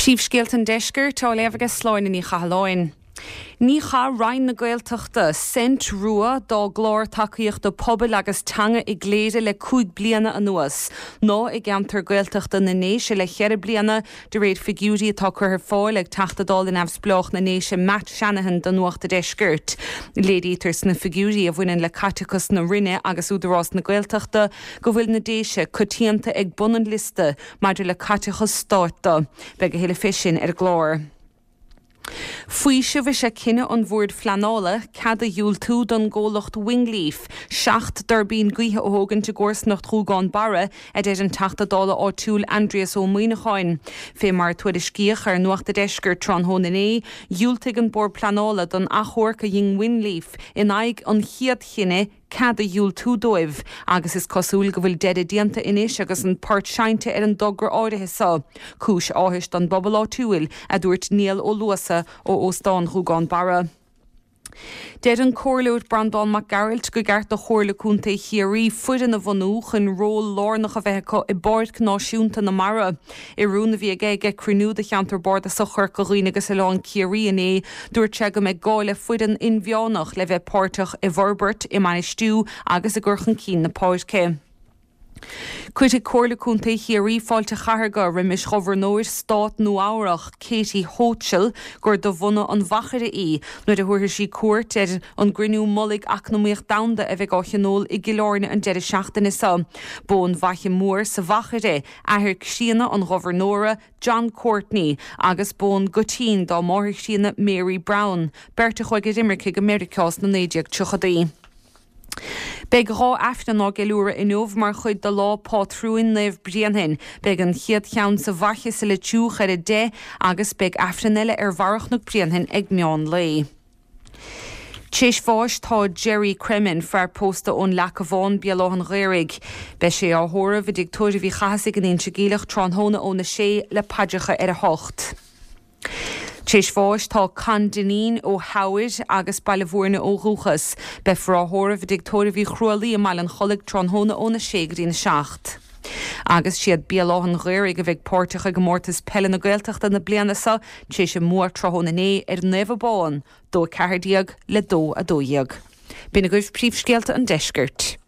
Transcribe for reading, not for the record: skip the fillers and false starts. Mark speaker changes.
Speaker 1: Príomhscéalta an Deiscirt á léamh aige Sláine Ní Chathalláin. Ní chaith Roinn na Gaeltachta cent rua dá gclár tacaíochta pobail agus teanga i gCléire le 5 bliana anuas, ná i gceantar Gaeltachta na nDéise le cheithre bliana, de réir figiúirí atá curtha ar fáil ag Teachta Dála Neamhspleách na nDéise Matt Shanahan do Nuacht a' Deiscirt. Léirítear sna figiúirí a bhaineann le caiteachas na Roinne agus Údarás na Gaeltachta go bhfuil na Déise coitianta ag bun an liosta Maidir le caiteachas stáit de, beidh a thuilleadh fé sin ar an gclár. Faoiseamh is ea cinneadh an Bhoird Phleanála cead a dhiúltú don gcomhlacht Wingleaf 7 dtuirbín gaoithe a thógaint i gcomharsanacht Ghúgán Barra, a deir an Teachta Dála áitiúil Aindrias Ó Muimhneacháin. Fé mar a tuairiscíodh ar Nuacht a' Deiscirt tráthnóna inné, dhiúltaigh an Bord Pleanála don achomharc a dhein Wingleaf in aghaidh an chéad chinnidh, cead a dhiúltú dóibh, agus is cosúil go bhfuil deireadh déanta anois agus an port seinnte ar an dtogra áirithe so. Cúis áthais don bpobal áitiúil, a dúirt Niall Ó Luasa ó Óstán Ghúgán Barra. Deir an Comhairleoir Breandán Mac Gearailt go gceart do Chomhairle Contae Chiarraí foireann a bhunú chun ról lárnach a bheith acu i bPáirc Náisiúnta na Mara. I rún a bhí aige ag cruinniú de Cheantar Bardasach Chorca Dhuibhne agus Oileán Ciarraí inné, dúirt sé go mbeidh gá le foireann inmheánach le bheith páirteach i bhforbairt, i mbainistiú agus i gcur chun cinn na páirce. Cuirfidh Comhairle Contae Chiarraí fáilte chathartha roimis Ghobharnóir Stát Nua-Eabhrac, Kathy Hochul, gur de bhunadh an Mhachaire í, nuair a thabharfaidh sí cuairt ar an gCruinniú Mullaigh Eacnamaíoch Domhanda a bheidh á thionól i gCill Airne an deireadh seachtaine seo. B'ón bhFaiche Mhór sa Mhachaire athair críonna an Ghobharnóra, John Courtney, agus b'ón gCoitín dá máthair chríonna Mary Browne, beirt a chuaigh ar imirce go Meiriceá sna 1930idí. Beidh 2 Aifreann á gceiliúradh inniu mar chuid de Lá Pátrúin Naomh Bréanainn. Beidh an chéad cheann sa bhFaiche sa Leitriúch ar 10 agus beidh Aifreann eile ar Bharra Chnoc Bréanainn ag meán lae. T'éis bháis tá Gerry Cremin, fear pósta ón Leaca Bhán, Béal Átha an Ghaorthaidh. Beidh sé á thórramh i dTigh Tórraimh Uí Chathasaigh in Inse Geimhleach tráthnóna óna sé le paidreacha ar a hocht. T'éis bháis tá Con Dineen ó Theamhair agus Baile Mhúirne ó dhúchas. Beifear á thórramh i dTigh Tórraimh Uí Chrualaoi i mBaile an Chollaigh tráthnóna óna sé go dtína seacht. Agus siad Béal Átha an Ghaorthaidh a bheidh páirteach i gComórtas Peile na Gaeltachta na bliana seo t'éis a mbua tráthnóna inné ar Naomh Abán, 2 14 le 2 12. B'in agaibh príomhscéalta an deiscirt.